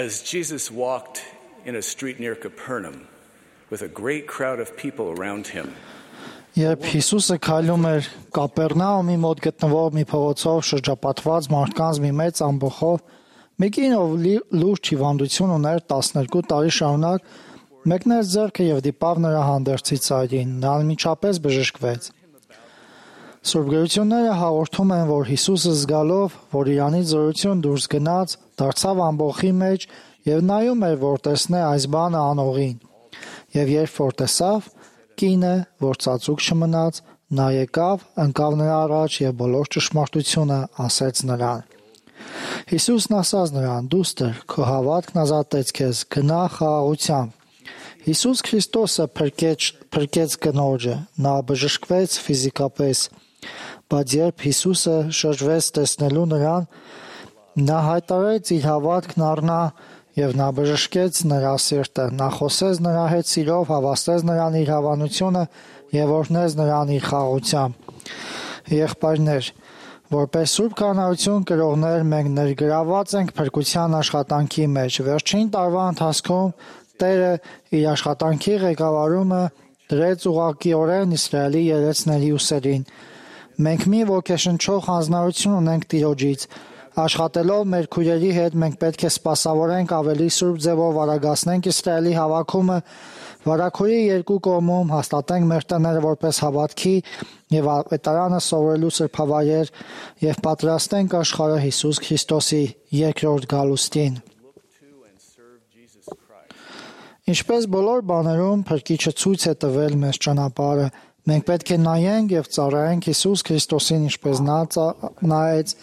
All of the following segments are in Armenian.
As Jesus walked in a street near Capernaum with a great crowd of people around him. Երբ Հիսուսը քայլում էր Կապեռնաումի մոտ գտնվող մի փողոցով շրջապատված մարդկանց մի մեծ ամբոխով, մի կին, ով լուրջ հիվանդություն ուներ 12 տարի շարունակ, մեկնեց ձեռքը և դիպավ նրա հանդերձի ծայրին, նա անմիջապես բժշկվեց։ Սուրբ գրությունները հաղորդում են, որ Հիսուսը զգալով, որ իրանից զորություն դուրս գնաց, դարձավ ամբոխի մեջ և նայում էր, որ տեսնե այս բանը անողին։ Եվ երբ որ տեսավ, կինը, որ ծածուկ չմնաց, նա եկավ, ընկավ նրա առաջ և բոլոր ճշմարտությունը ասեց նրան։ Հիսուսն ասաց նրան. «Դուստր, քո հավատքն ազատեց քեզ, գնա խաղաղությամբ»։ Հիսուս Քրիստոսը փրկեց կնոջը, նա բժշկվեց ֆիզիկապես, բայց երբ Հիսուսը շրջվեց տեսնելու նրան, նա հայտարարեց իր հավատքն առնա և նա բժշկեց նրա սիրտը, նա խոսեց նրա հետ սիրով, հավաստեց նրան իր հավանությունը և օրհնեց նրան իր խաղաղությամբ։ Եղբայրներ, որպես Սուրբ Քահանայություն կրողներ, մենք ներգրավված ենք փրկության աշխատանքի մեջ։ Վերջին տարվա ընթացքում Տերը իր աշխատանքի ղեկավարումը դրեց ուղղակիորեն Իսրայելի երեցների ուսերին։ Մենք մի ոգեշնչող հանձնարարություն ունենք Տիրոջից։ Աշխատելով մեր քույրերի հետ մենք պետք է սպասավորենք ավելի սուրբ ձևով արագացնենք Իսրայելի հավաքումը, վարագույրի երկու կողմում հաստատենք մեր տները որպես հավատքի և ավետարանը սովորելու սրբավայր և պատրաստենք աշխարհը Հիսուս Քրիստոսի երկրորդ գալուստին։ Ինչպես բոլոր բաներում Փրկիչը ցույց է տվել մեզ ճանապարհը, մենք պետք է նայենք և ծառայենք Հիսուս Քրիստոսին, ինչպես նա նայեց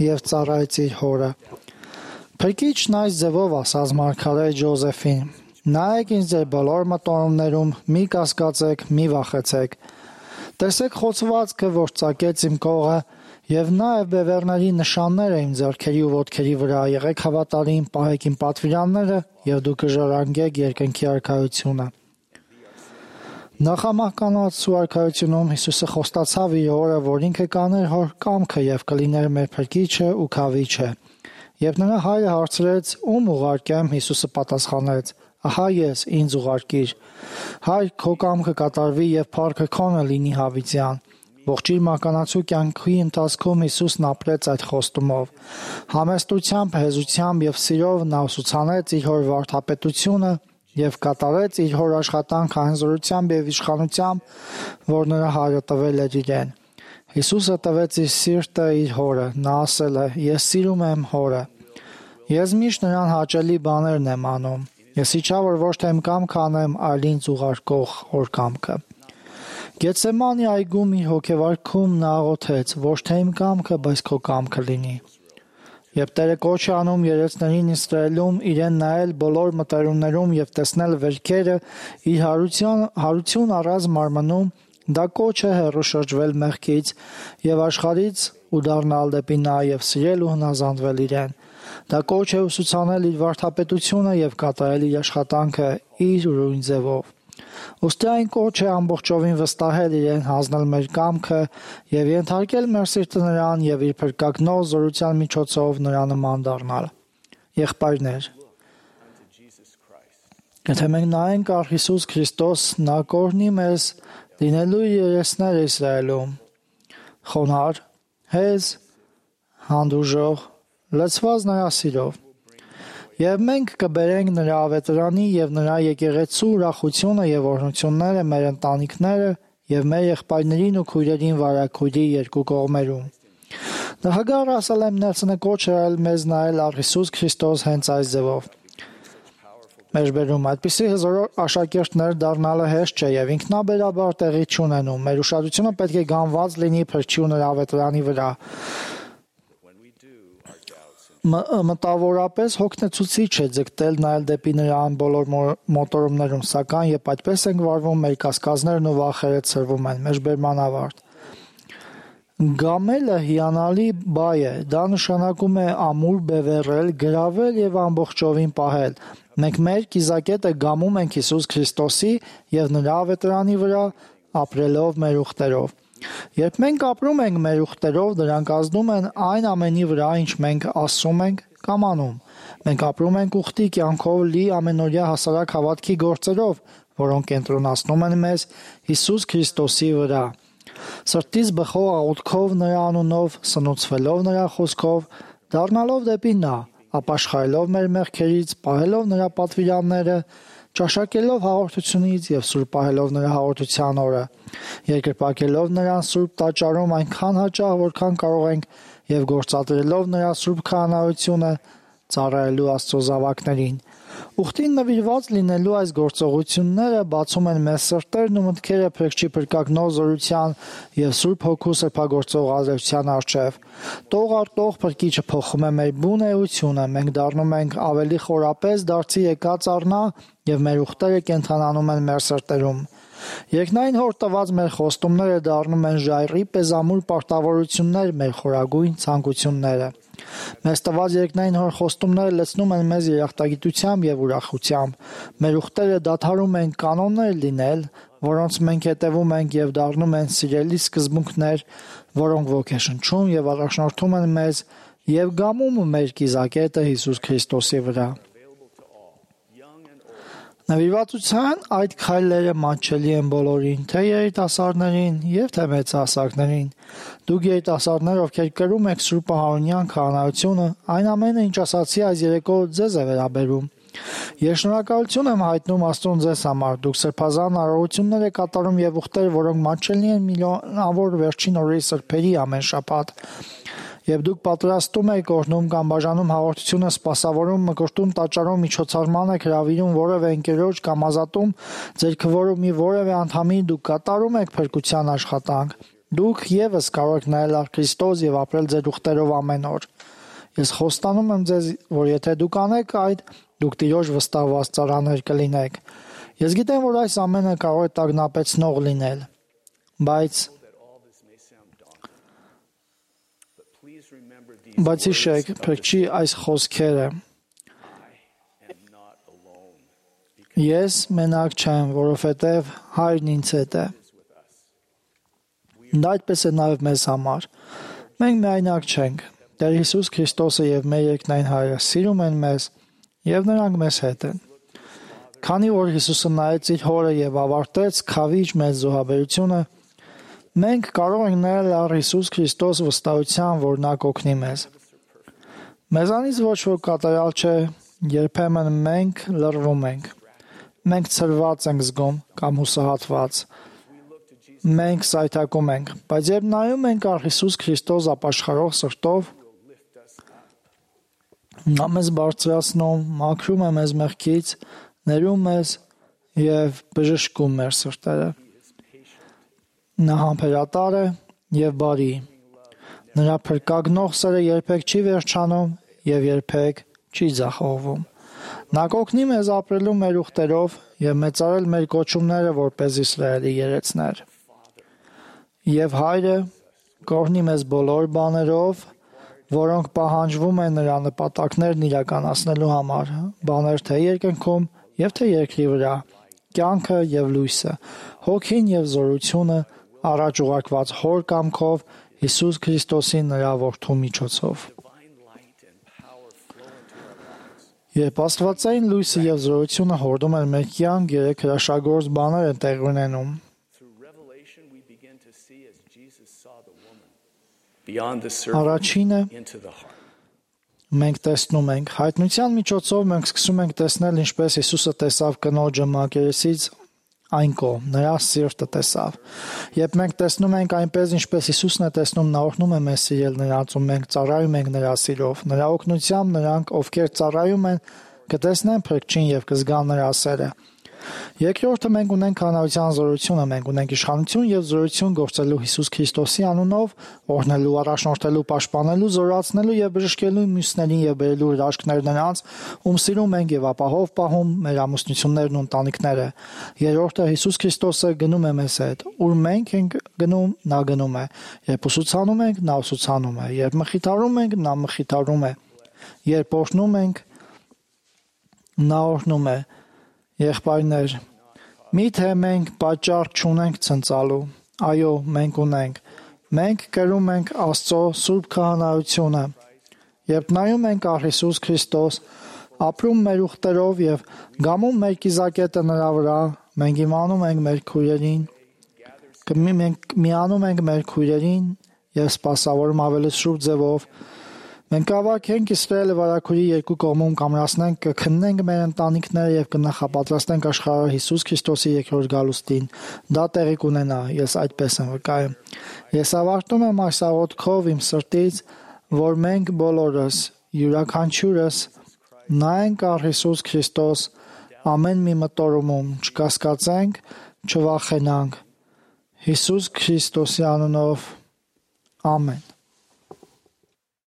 և ծառայեց իր հորը։ Փրկիչն այս ձևով ասաց մարգարե Ջոզեֆին. «Նայեք ինձ ձեր բոլոր մտորումներում, մի կասկածեք, մի վախեցեք։ Տեսեք խոցվածքը, որ ծակեց իմ կողը, և նաև բևեռների նշանները իմ ձեռքերի ու ոտքերի վրա, եղեք հավատարիմ, պահեք իմ պատվիրանները, և դուք կժառանգեք երկնքի արքայությունը»։ Նախամահկանացու արքայությունում Հիսուսը խոստացավ իր հորը, որ ինքը կաներ հոր կամքը և կլիներ մեր փրկիչը ու քավիչը։ Երբ նրա հայրը հարցրեց. «Ում ուղարկեմ», Հիսուսը պատասխանեց. «Ահա ես, ինձ ուղարկիր»։ Հայր, քո կամքը կատարվի և փառքը քոնը լինի հավիտյան։ Ողջ իր մահկանացու կյանքի ընթացքում Հիսուսն ապրեց այդ խոստումով։ Համեստությամբ, հեզությամբ և սիրով նա ուսուցանեց իր հոր վարդապետությունը և կատարեց իր հոր աշխատանքը այն զորությամբ և իշխանությամբ, որ նրա հայրը տվել էր իրեն։ Հիսուսը տվեց իր սիրտը իր հորը, նա ասել է. «Ես սիրում եմ հորը»։ Ես միշտ նրան հաճելի բաներն եմ անում։ Ես իջա, որ ոչ թե իմ կամքը անեմ, այլ ինձ ուղարկող հոր կամքը։ Գեթսեմանի այգում իր հոգեվարքում նա աղոթեց. «Ոչ թե իմ կամքը, բայց քո կամքը լինի»։ Երբ Տերը կոչ է անում երեցներին Իսրայելում իրեն նայել բոլոր մտերումներում և տեսնել վերքերը իր հարություն առած մարմնում, դա կոչ է հեռու շրջվել մեղքից և աշխարհից ու դառնալ դեպի նա և սիրել ու հնազանդվել իրեն։ Դա կոչ է ուսուցանել իր վարդապետությունը և կատարել իր աշխատանքը իր ուրույն ձևով։ Ուստի այն կոչ է ամբողջովին վստահել իրեն, հանձնել մեր կամքը և ենթարկել մեր սիրտը նրան և իր փրկագնող զորության միջոցով նրա նման դառնալ։ Եղբայրներ, եթե մենք նայենք առ Հիսուս Քրիստոս, նա կօրհնի մեզ լինելու իր երեցները Իսրայելում՝ խոնարհ, հեզ, հանդուրժող, լցված նրա սիրով։ Եվ մենք կբերենք նրա ավետարանի և նրա եկեղեցու ուրախությունը և օրհնությունները մեր ընտանիքները և մեր եղբայրներին ու քույրերին վարագույրի երկու կողմերում։ Նախագահ Ռասել Նելսոնը կոչ է արել մեզ նայել առ Հիսուս Քրիստոս հենց այս ձևով։ Մեջբերում այդպիսի հզոր աշակերտներ դառնալը հեշտ չէ և ինքնաբերաբար տեղի չունենում։ Մեր ուշադրությունը պետք է գանված լինի Փրկչի ու նրա ավետարանի վրա։ Մտավորապես հոգնեցուցիչ է ձգտել նայել դեպի նրան բոլոր մոտորումներում, սակայն երբ այդպես ենք վարվում, մեր կասկածներն ու վախերը ցրվում են։ Մեջբերման ավարտ։ Գամելը հիանալի բայ է։ Դա նշանակում է ամուր բևեռել, գրավել և ամբողջովին պահել։ Մենք մեր կիզակետը գամում ենք Հիսուս Քրիստոսի և նրա ավետարանի վրա, ապրելով մեր ուխտերով։ Երբ մենք ապրում ենք մեր ուխտերով, դրանք ազդում են այն ամենի վրա, ինչ մենք ասում ենք կամ անում։ Մենք ապրում ենք ուխտի կյանքով լի ամենօրյա հասարակ հավատքի գործերով, որոնք կենտրոնացնում են մեզ Հիսուս Քրիստոսի վրա։ Սրտից բխող աղոթքով նրա անունով, սնուցվելով նրա խոսքով, դառնալով դեպի նա, ապաշխարելով մեր մեղքերից, պահելով նրա պատվիրանները, ճաշակելով հաղորդությունից եւ սուրբ պահելով նրա հաղորդության օրը, երկրպագելով նրան սուրբ տաճարում այնքան հաճախ, որքան կարող ենք, եւ գործադրելով նրա սուրբ քահանայությունը, ծառայելու Աստծո զավակներին։ Ուխտին նվիրված լինելու այս գործողությունները բացում են մեզ սրտերն ու մտքերը փրկչի փրկագնող զորության եւ Սուրբ Հոգու սրբագործող ազդեցության առջև։ Տող առ տող փրկիչը փոխում է մեր բուն էությունը, մենք դառնում ենք ավելի խորապես դարձի եկած առնա եւ մեր ուխտերը կենթանանում են մեր սրտերում։ Երկնային հոր տված մեր խոստումները դառնում են ժայռի պեզամուր պարտավորություններ, մեր խորագույն ցանկությունները։ Մեզ տված երկնային հոր խոստումները լցնում են մեզ երախտագիտությամբ եւ ուրախությամբ։ Մեր ուխտերը դադարում են կանոններ լինել, որոնց մենք հետևում ենք եւ դառնում են սիրելի սկզբունքներ, որոնք ոգեշնչում եւ առաջնորդում են մեզ եւ գամում մեր կիզակետը Հիսուս Քրիստոսի վրա։ Նվիրվածության այդ քայլերը մատչելի են բոլորին, թե երիտասարդներին եւ թե մեծահասակներին։ Դուք երիտասարդներ, ովքեր կրում եք Սուրբ Ահարոնյան քահանայությունը, այն ամենը, ինչ ասացի այս երեկո ձեզ է վերաբերում։ Ես շնորհակալություն եմ հայտնում Աստծուն ձեզ համար։ Դուք սրբազան արարողություններ եք կատարում եւ ուխտեր, որոնք մատչելի են միլիոնավոր վերջին օրերի սրբերի ամեն շաբաթ։ Եվ դուք պատրաստում եք օրհնում կամ բաժանում հաղորդությունը, սպասավորում, մկրտում, տաճարում, միջոցառման եք հրավիրում որևէ ընկերոջ կամ ազատում ձեր քվորումի որևէ անդամի, դուք կատարում եք փրկության աշխատանք։ Դուք եւս կարող եք նայել առ Քրիստոս եւ ապրել ձեր ուխտերով ամեն օր։ Ես խոստանում եմ ձեզ, որ եթե դուք անեք այդ, դուք Տիրոջ վստահված ծառաներ կլինեք։ Ես գիտեմ, որ այս ամենը կարող է տագնապեցնող լինել, բայց հիշեք փրկչի այս խոսքերը. Ես մենակ չեմ, որովհետև Հայրն ինձ հետ է։ Դա այդպես է նաև մեզ համար։ Մենք միայնակ չենք։ Տեր Հիսուս Քրիստոսը եւ մեր երկնային Հայրը սիրում են մեզ եւ նրանք մեզ հետ են։ Քանի որ Հիսուսը նայեց իր Հորը եւ ավարտեց քավիչ մեծ զոհաբերությունը, մենք կարող ենք նայել առ Հիսուս Քրիստոս վստահության, որ նա կօգնի մեզ։ Մեզանից ոչ ոք կատարյալ չէ, երբեմն մենք լռվում ենք։ Մենք ցրված ենք զգում կամ հուսահատված։ Մենք սայթակում ենք, բայց երբ նայում ենք առ Հիսուս Քրիստոս ապաշխարող սրտով, նա մեզ բարձրացնում, մաքրում է մեզ մեղքից, ներում մեզ եւ բժշկում մեր սրտերը։ Նա համբերատար է եւ բարի։ Նրա փրկագնող սերը երբեք չի վերջանում եւ երբեք չի ձախողվում։ Նա կօգնի մեզ ապրելու մեր ուխտերով եւ մեծարել մեր կոչումները որպես Իսրայելի երեցներ։ Եվ Հայրը կօգնի մեզ բոլոր բաներով, որոնք պահանջվում են նրա նպատակներն իրականացնելու համար, բաներ թե երկնքում եւ թե երկրի վրա, կյանքը եւ լույսը, հոգին եւ զորությունը, առաջ ուղարկված Հոր կամքով Հիսուս Քրիստոսի նրա որդու միջոցով։ Երբ Աստվածային լույսը եւ զորությունը հորդում են մեր կյանք, երեք հրաշագործ բաներ են տեղի ունենում։ Առաջինը մենք տեսնում ենք հայտնության միջոցով մենք սկսում ենք տեսնել ինչպես Հիսուսը տեսավ կնոջը մակերեսից այն կողմ, նրա սիրտը տեսավ։ Երբ մենք տեսնում ենք այնպես ինչպես Հիսուսն է տեսնում, նա օրհնում է մեզ սիրել նրանց ու մենք ծառայում ենք նրա սիրով։ Նրա օգնությամբ նրանք, ովքեր ծառայում են, կտեսնեն փրկչին եւ կզգան նրա սերը։ Երկրորդը մենք ունենք քահանայության զորությունը, մենք ունենք իշխանություն եւ զորություն գործելու Հիսուս Քրիստոսի անունով, օրհնելու, առաջնորդելու, պաշտպանելու, զորացնելու եւ բժշկելու մյուսներին եւ բերելու հրաշքներ նրանց, ում սիրում ենք եւ ապահով պահում մեր ամուսնություններն ու ընտանիքները։ Երրորդը Հիսուս Քրիստոսը գնում է մեզ հետ, ուր մենք ենք գնում, նա գնում է։ Երբ ուսուցանում ենք, նա ուսուցանում է, երբ մխիթարում ենք, նա մխիթարում է, երբ օրհնում ենք, նա օրհնում է։ Եղբայրներ, միթե մենք պատճառ չունենք ցնծալու, այո, մենք ունենք, մենք կրում ենք Աստծո սուրբ քահանայությունը, Երբ նայում ենք առ Հիսուս Քրիստոս, ապրում մեր ուխտերով եւ գամում մեր կիզակետը նրա վրա, մենք իմանում ենք մեր քույրերին, միանում ենք մեր քույրերին եւ սպասավորում ավելի շուրջ ձևով։ Մենք կավակենք Իսրայելը վարակուրի երկու կողմում կամրացնենք, կքննենք մեր ընտանիքները եւ կնախապատրաստենք աշխարհը Հիսուս Քրիստոսի երկրորդ գալուստին։ Դա տեղի կունենա, ես այդպես եմ վկայում։ Ես ավարտում եմ այս աղոթքով իմ սրտից, որ մենք բոլորս, յուրաքանչյուրս նայենք առ Հիսուս Քրիստոս ամեն մի մտորումում, չկասկածենք, չվախենանք։ Հիսուս Քրիստոսի անունով, ամեն։